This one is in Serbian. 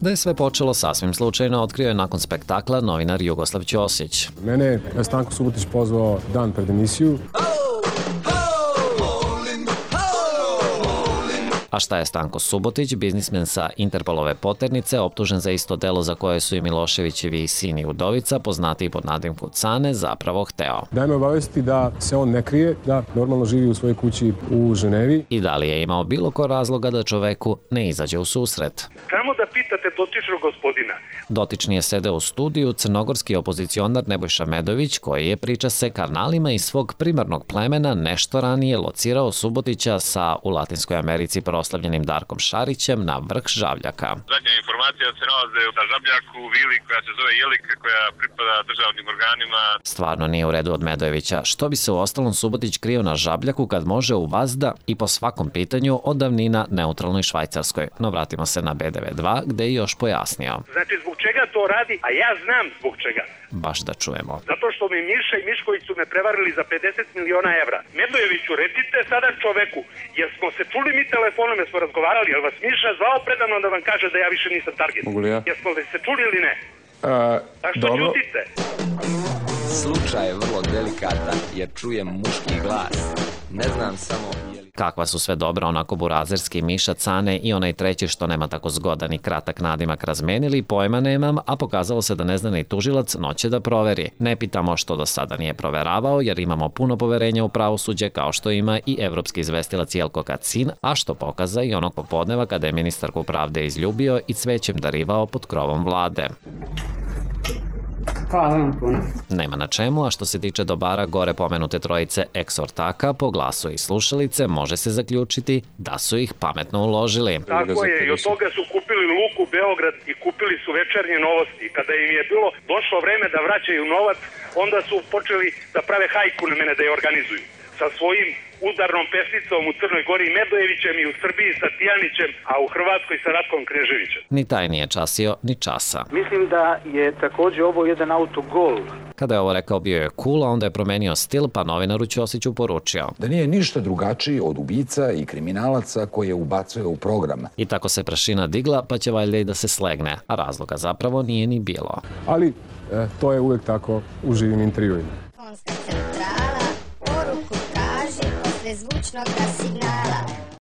Da je sve počelo sasvim slučajno, otkrio je nakon spektakla novinar Jugoslav Ćosić. Mene je Stanko Subotić pozvao dan pred emisiju. A šta je Stanko Subotić, biznismen sa Interpolove poternice, optužen za isto delo za koje su i Miloševićevi sin i udovica, poznatiji pod nadimku Cane, zapravo hteo. Daj me obavesti da se on ne krije, da normalno živi u svojoj kući u Ženevi. I da li je imao bilo ko razloga da čoveku ne izađe u susret? Samo da pitate dotičnog gospodina. Dotični je sedeo u studiju crnogorski opozicionar Nebojša Medović, koji je, priča se, karnalima iz svog primarnog plemena nešto ranije locirao Subotića sa u Latinskoj Americi proslavljenim Darkom Šarićem na vrh Žabljaka. Zadnja informacija se nalaze na Žabljaku, vili koja se zove Jelika, koja pripada državnim organima. Stvarno nije u redu od Medojevića. Što bi se u ostalom Subotić krio na Žabljaku kad može u vazda i po svakom pitanju od davnina neutralnoj Švajcarskoj? No vratimo se na BDV2 gde je još pojasnio. Znači zbog čega to radi, a ja znam zbog čega. Baš da čujemo. Zato što mi Miša i Mišković su me prevarili za 50 miliona evra. Medojeviću, recite sada čoveku, jer smo se čuli mi telefonom, jer smo razgovarali, jel vas Miša zvao predavno da vam kaže da ja više nisam target? Mogu li ja? Jesmo li se čuli ili ne? A što ćutite? Slučaj je vrlo delikatan jer čujem muški glas. Ne znam samo... Kakva su sve dobra onako burazerski Miša, Cane i onaj treći što nema tako zgodan i kratak nadimak razmenili, pojma nemam, a pokazalo se da ne zna ni tužilac, noće da proveri. Ne pitamo što do sada nije proveravao, jer imamo puno poverenja u pravosuđe, kao što ima i evropski izvestilac Jelko Kacin, a što pokaza i onog popodneva kada je ministarku pravde izljubio i cvećem darivao pod krovom vlade. Hvala vam puno. Nema na čemu, a što se tiče dobara gore pomenute trojice eksortaka, po glasu i slušalice može se zaključiti da su ih pametno uložili. Tako je, i od toga su kupili Luku Beograd i kupili su Večernje novosti. Kada im je bilo došlo vreme da vraćaju novac, onda su počeli da prave hajku na mene da je organizuju. Sa svojim udarnom pesnicom u Crnoj Gori Medojevićem i u Srbiji sa Tijanićem, a u Hrvatskoj sa Ratkom Kneževićem. Ni taj nije časio, ni časa. Mislim da je takođe ovo jedan autogol. Kada je ovo rekao, bio je cool, a onda je promenio stil, pa novinaru Ćosiću poručio da nije ništa drugačiji od ubica i kriminalaca koje ubacuje u program. I tako se prašina digla, pa će valjda i da se slegne, a razloga zapravo nije ni bilo. Ali to je uvek tako u živim intervjuima. Poruku traži posle zvučnog signala.